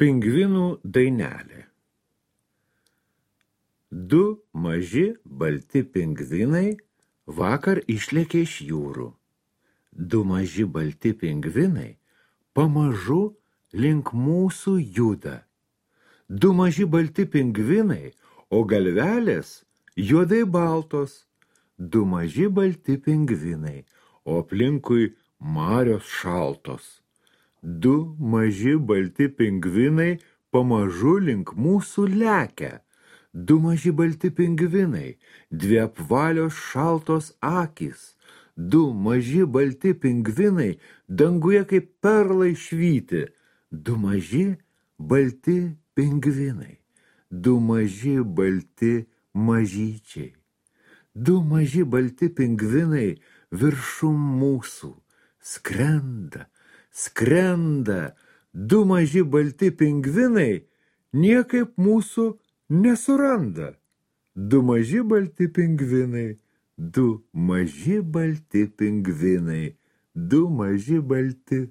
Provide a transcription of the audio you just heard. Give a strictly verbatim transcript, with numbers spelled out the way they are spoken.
Pingvinų dainelė. Du maži balti pingvinai vakar išlėkė iš jūrų. Du maži balti pingvinai pamažu link mūsų juda. Du maži balti pingvinai, o galvelės juodai baltos. Du maži balti pingvinai, o aplinkui marios šaltos. Du maži balti pingvinai pamažu link mūsų lekia. Du maži balti pingvinai, dvi apvalios šaltos akys. Du maži balti pingvinai danguje kaip perlai švyti. Du maži balti pingvinai, du maži balti mažyčiai. Du maži balti pingvinai viršum mūsų skrenda, skrenda. Du maži balti pingvinai niekaip mūsų nesuranda. Du maži balti pingvinai, du maži balti pingvinai, du maži balti